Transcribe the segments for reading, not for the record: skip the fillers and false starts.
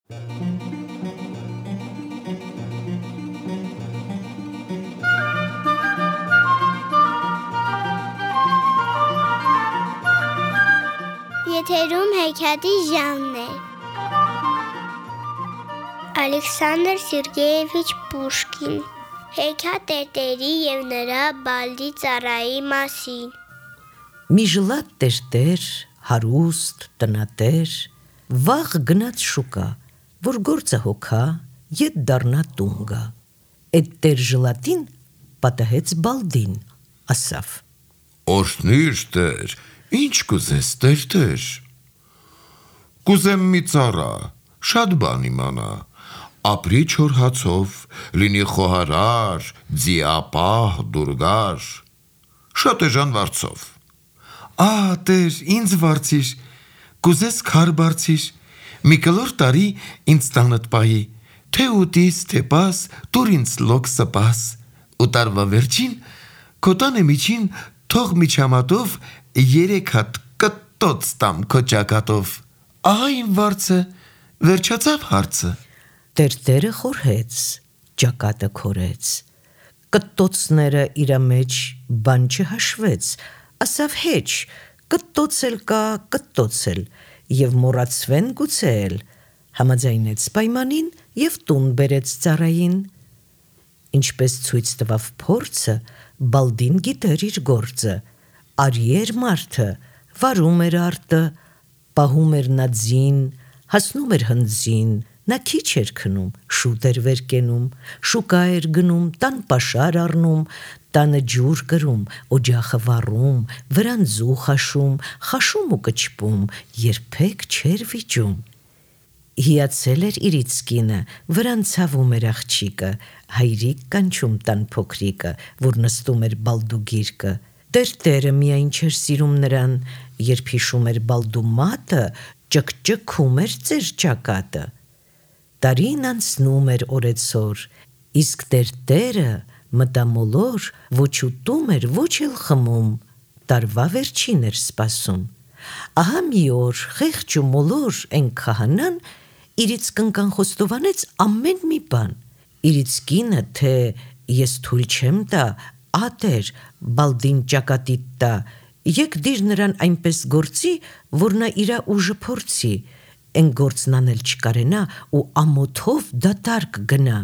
Եթերում հեքիաթի ժամն է։ Ալեքսանդր Սերգեևիչ Պուշկին։ Հեքիաթ տերտերի և նրա բալդի ծառայի մասին։ Մի ժլատ տերտեր, հարուստ, տնատեր, վաղ գնաց շուկա, որ գործը հոգա, ետ դառնա տուն գա։ Էդ տեր ժլատին պատահեց բալդին, ասավ. Օրհնիր տեր, ինչ կուզես տերտեր։ Կուզեմ մի ծառա, շատ բան իմանա, ապրի չոր հացով, լինի խոհարար, ձիապահ, դուրգար, շատ էժան վարձով։ Տեր, ինձ վարձիր, կուզես քար բարձիր, մի կլոր տարի ինձ տանդ պայի, թե ուտիս, թե պաս, տուր ինձ լոկ սպաս, ու տարվա վերջին, քո տանը միջին, թող միջամատով, 3 հատ կտոց տամ քո ճակատով, ահա իմ վարձը, վերջացավ հարցը։ Տերտերը խորհեց, ճակատը քորեց, կտոցները իրա մեջ բան չհաշվեց, ասավ հեչ, կտոցել կա, կտոցել, և մոռացվեն գուցել, համաձայնեց պայմանին և տուն բերեց ծառային։ Ինչպես ցույց տվավ փորձը, բալդին գիտեր իր գործը, արի էր մարդը, վարում էր արտը, պահում էր նա ձին, հասնում էր հնձին, նա քիչ էր քնում, շուտ էր վեր կենում, շուկա էր գնում, տան պաշար առնում, տանը ջուր կրում, օջախը վառում, վրան ձու խաշում ու կչպում, երբեք չէր վիճում։ Հիացել էր իրից կինը, վրան ցավում էր աղջիկը, հայրիկ կանչում տան փոքրիկը, որ նստում էր բալդու գիրկը։ Տերտերը միայն չէր սիրում նրան, երբ հիշում էր բալդու մատը, ճկճկում էր ծեր ճակատը։ Տարին անցնում էր օրեցօր, իսկ տերտերը մտամոլոր ոչ ուտում էր, ոչ էլ խմում, տարվա վերջին էր սպասում։ Ահա մի օր խեղճ ու մոլոր էն քահանան իրից կնկան խոստովանեց ամեն մի բան։ Իրից կինը, թե ես թույլ չեմ տա, ատեր, բալդին ճակատիդ տա, եկ դիր նրան այնպես գործի, որ նա իրա ուժը փորձի, էն գործն անել չկարենա ու ամոթով դատարկ գնա։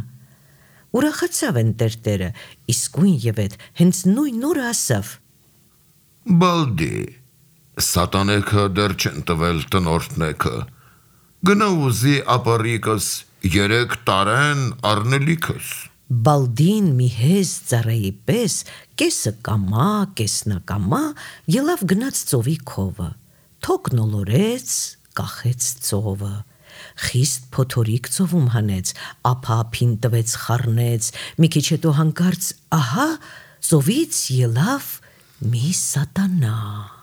Ուրախացավ են տերտերը, իսկույն ևեթ հենց նույն օրը ասավ. Բալդի, սատանեքը դեռ չեն տվել տնորդնեքը, գնա ուզի ապարիկս, 3 տարեն առնելիքս։ Բալդին մի հեզ ծառայի պես, կեսը կամա, կեսնակամա, ելավ գնաց ծովի քովը, թոկն ոլորեց, կախեց ծովը, խիստ փոթորիկ ծովում հանեց, ափափին տվեց խառնեց, մի քիչ հետո հանկարծ, ահա, ծովից ելավ մի սատանա։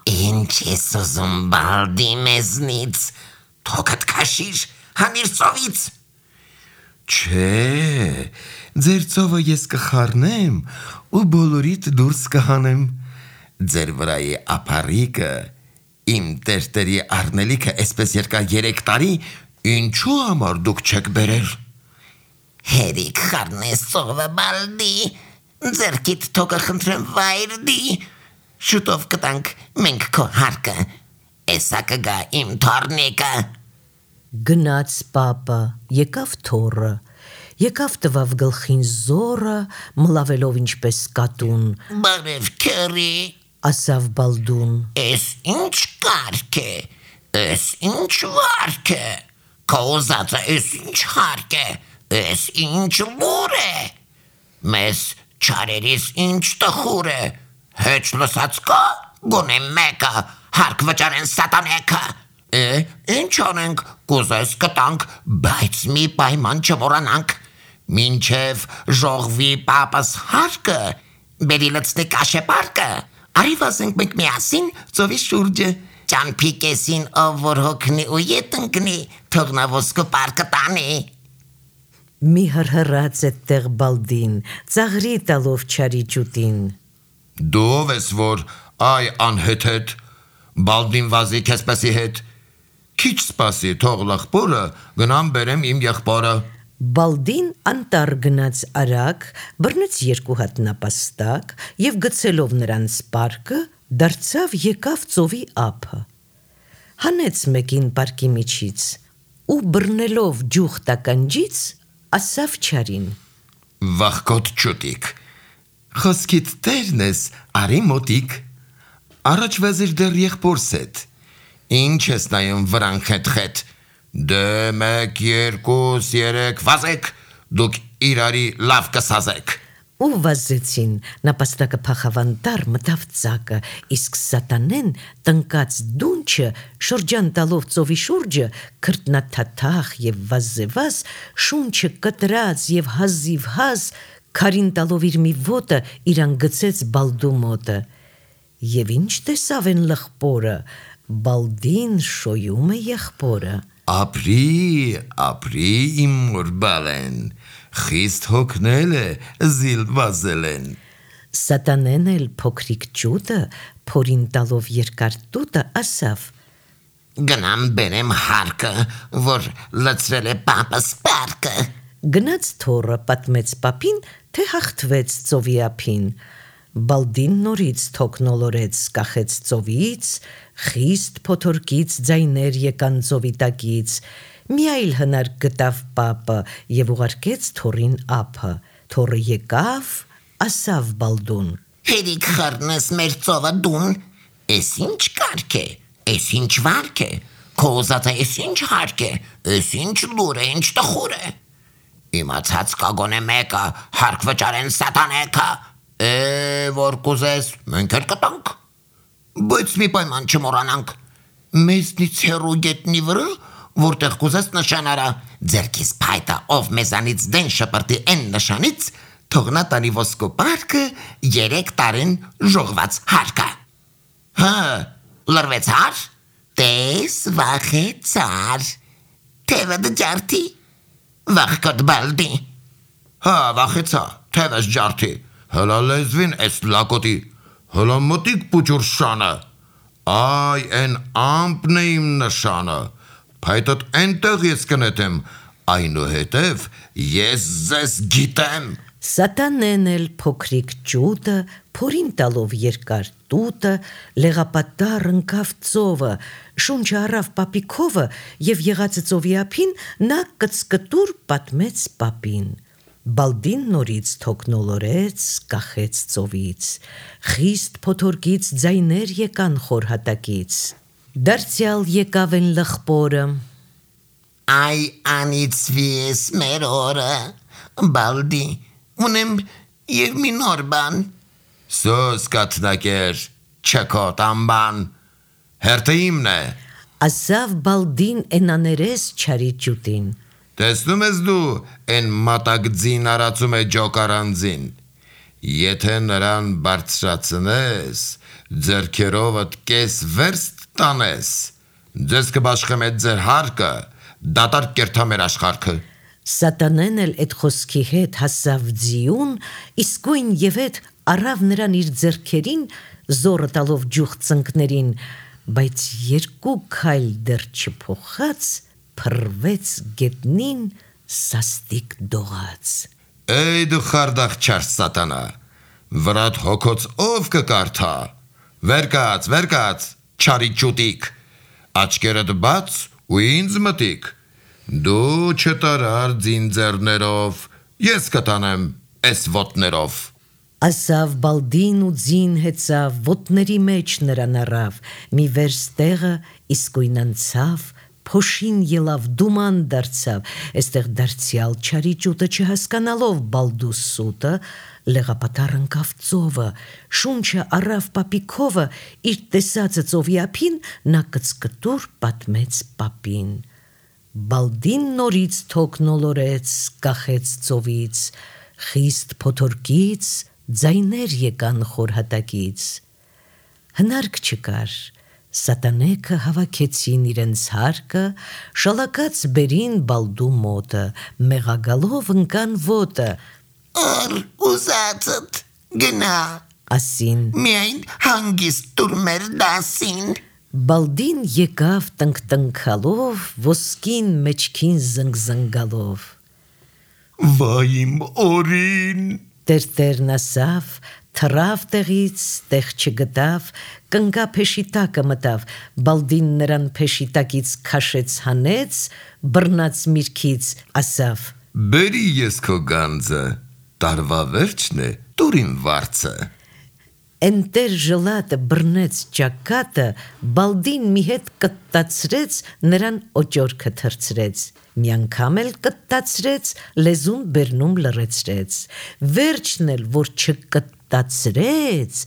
Ինչ ես ուզում բալդի մեզնից, թոքդ քաշիր, հանիր ծովից։ Չէ, ձեր ծովը ես կխառնեմ ու բոլորիդ դուրս կհանեմ, ձեր վրայի ապարիկը, իմ տերտերի առնելիքը այսպես երկար 3 տարի, ինչու համար դուք չեք բերել։ Հերիք խառնես ծովը բալդի, ձերքիդ թոքը խնդրեմ վայրդի, շուտով կտանք մենք քո հարկը, էսա կգա իմ թորնիկը։ Գնաց պապը, եկավ թոռը, եկավ տվավ գլխին զորը, մլավելով ինչպես կատուն։ Բարև քերի, ասավ բալդուն։ Էս ինչ կարգ է, էս ինչ վարք է, քո ուզածը էս ինչ հարկ է, էս ինչ լուր է, մեզ չարերիս ինչ տխուր է, հեչ լսած կա, գոնե մեկը, հարկ վճարեն սատանեքը։ Ինչ անենք, կուզես կտանք, բայց մի պայման չմոռանանք, մինչև ժողվի պապս հարկը, բերի լցնի կաշեպարկը, արի վազենք մենք միասին ծովի շուրջը, ճամփի կեսին ով որ հոգնի ու ետ ընկնի, թող նա ոսկու պարկը տանի։ Մի հրհրաց էդտեղ բալդին, ծաղրի տալով չարի ջուտին։ Դու ով ես որ, այ անհեթեթ, բալդին վազի քեզպեսի հետ, Քիչ սպասի, թող լախպորը, գնամ բերեմ իմ եղբորը։ Բալդին անտառ գնաց արագ, բռնեց 2 հատ նապաստակ եւ գցելով նրան սպարկը, դարձավ եկավ ծովի ափը։ Հանեց մեկին պարկի միջից ու բռնելով ջուխ տականջից ասավ չարին. Վախկոտ ճուտիկ, խոսքիդ տերն ես, արի մոտիկ, առաջ վազիր դեռ եղբորս հետ, ինչ ես նայում վրան խետ, դե 1, 2, 3 վազեք, դուք իրարի լավ կսազեք։ Ու վազեցին, նապաստակը փախավանդար մտավ ծակը, իսկ սատանեն տնկած դունչը շրջան տալով ծովի շուրջը, քրտնաթաթախ եւ վազզեվազ, շունչը կտրած եւ հազիվ հազ, քարին տալով իր մի ոտը իրան գցեց Բալդու մոտը։ Եվ ինչ տեսավ են լխպորը, Բալդին շոյում է եղբորը։ Ապրի իմ մոր բալեն, խիստ հոգնել է, զիլ վազել են։ Սատանեն էլ փոքրիկ ճուտը, փորին տալով երկար տուտը, ասավ. Գնամ բերեմ հարկը, որ լցրել է պապս պարկը։ Գնաց թորը, պատմեց պապին, թե հաղթվեց ծովի ափին։ Բալդին նորից թոքնոլորեց, կախեց ծովից, խիստ փոթորկից ձայներ եկան ծովի տակից, մի այլ հնար գտավ պապը եւ ուղարկեց թորին ափը, թորը եկավ, ասավ Բալդուն. Հերիք խառնես մեր ծովը դուն, էս ինչ կարգ է, էս ինչ վարք է, քո ուզածը էս ինչ հարկ է, էս ինչ լուր է, ինչ տխուր է։ Իմացած կագոնե մեկը, հարկ վճարեն սատանեքը, որ կուզես, մենք էլ կտանք, բայց մի պայման չմոռանանք, մեզնից հեռու գետնի վրա, որտեղ կուզես նշան արա, ձերքիս փայտը, ով մեզանից դեն շպրտի են նշանից, թողնա տանի ոսկու պարկը 3 տարին ժողված հարկը։ Հա, լրվեց հար, տես վախեցար, թևը դջարդի, վախկոտ Բալդի։ Հա, վախեցա, թևս ջարդի, հլա լեզվին էս լակոտի, հլա մոտիկ պուչուր շանը, այ են ամպն է իմ նշանը, փայտըտ ենտեղ ես կնետեմ, այնուհետև ես ձեզ գիտեմ։ Սատանեն էլ փոքրիկ ճուտը, փորին տալով երկար տուտը, լեղապատար ընկավ ծովը, շունչը առավ պապիկովը եւ եղածը ծովի ափին նա կծկտուր պատմեց պապին։ Բալդին նորից թոքնոլորեց, կախեց ծովից, խիստ փոթորկից ձայներ եկան խորհատակից։ Դարձյալ եկավ են լխպորը. Այ անիծվի ես մեր օրը, Բալդի, ունեմ եւ մի նոր բան։ Սոս կաթնակեր, չկոտ ամբան, հերթը իմն է։ ասավ Բալդին էնաներես չարի ճուտին։ Տեսնում ես դու, են մատակձին արացում է ջոկարանձին, եթե նրան բարձրացնես, ձերքերովդ կես վերստ տանես, ձեզ կբաշխեմ էդ ձեր հարկը, դատարկ կերթա մեր աշխարհքը։ Սատանեն էլ այդ խոսքի հետ հասավ ձիուն, իսկույն եւ այդ առավ նրան իր ձեռքերին, զորը տալով ջուխ ծնկներին, բայց 2 քայլ դեռ չփոխած, փռվեց գետնին սաստիկ դողաց։ Էй դու խարդախ չար սատանա, վրատ հոգոց ով կկարդա, վերկաց, չարի ճուտիկ, աչկերդ բաց ու ինձ մտիկ, դու չտարար ձինձերներով, ես կտանեմ էս ոտներով։ Ասավ Բալդին ու ձին հեծավ, ոտների մեջ նրան առավ, մի վերստեղը իսկույն անցավ, փոշին ելավ, դուման դարձավ, այստեղ դարձյալ չարի ճուտը չհասկանալով Բալդու սուտը, լեղապատար ընկավ ծովը, շունչը առավ պապիկովը, իր տեսածը ծովի ափին, նա կծկտուր պատմեց պապին։ Բալդին նորից թոքնոլորեց, կախեց ծովից, խիստ փոթորկից, ձայներ եկան խորհատակից։ Հնարք չկար, սատանեքը հավաքեցին իրենց հարկը, շալակած բերին Բալդու մոտը, մեղագալով ընկան ոտը, Օր ուզածդ գնա, ասին, միայն հանգիստ տուր մեր դասին։ Բալդին եկավ տնկտնքալով, ոսկին մեջքին զնգզնգալով։ Վայ իմ օրին։ Տերտերն ասավ, թռավ տեղից, տեղ չգտավ, կնգա փեշիտակը մտավ, Բալդին նրան փեշիտակից քաշեց հանեց, բռնած միրգից ասավ. Բերի ես քո գանձը, տարվա վերջն է, տուր իմ վարձը։ Էնտեր ժլատը բռնեց ճակատը, Բալդին մի հետ կտտացրեց, նրան օճորքը թրցրեց, մի անգամ էլ կտտացրեց, լեզուն բերնում լռեցրեց, վերջն էլ, որ չկտտացրեց,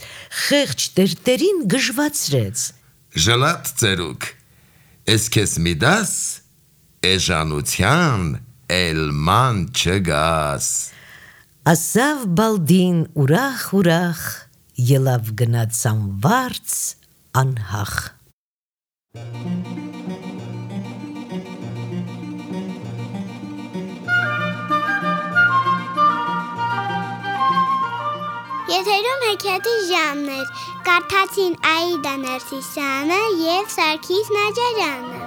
խեղճ տերտերին գժվացրեց։ Ժլատ ծերուկ, ես քեզ մի դաս, էժանության էլման չգաս։ Ասավ Բալդին ուրախ, ելավ գնաց անվարձ անհախ։ Եթերում հեքիաթի ժամն էր, կարդացին Աիդա Ներսիսյանը և Սարգիս Նաջարյանը։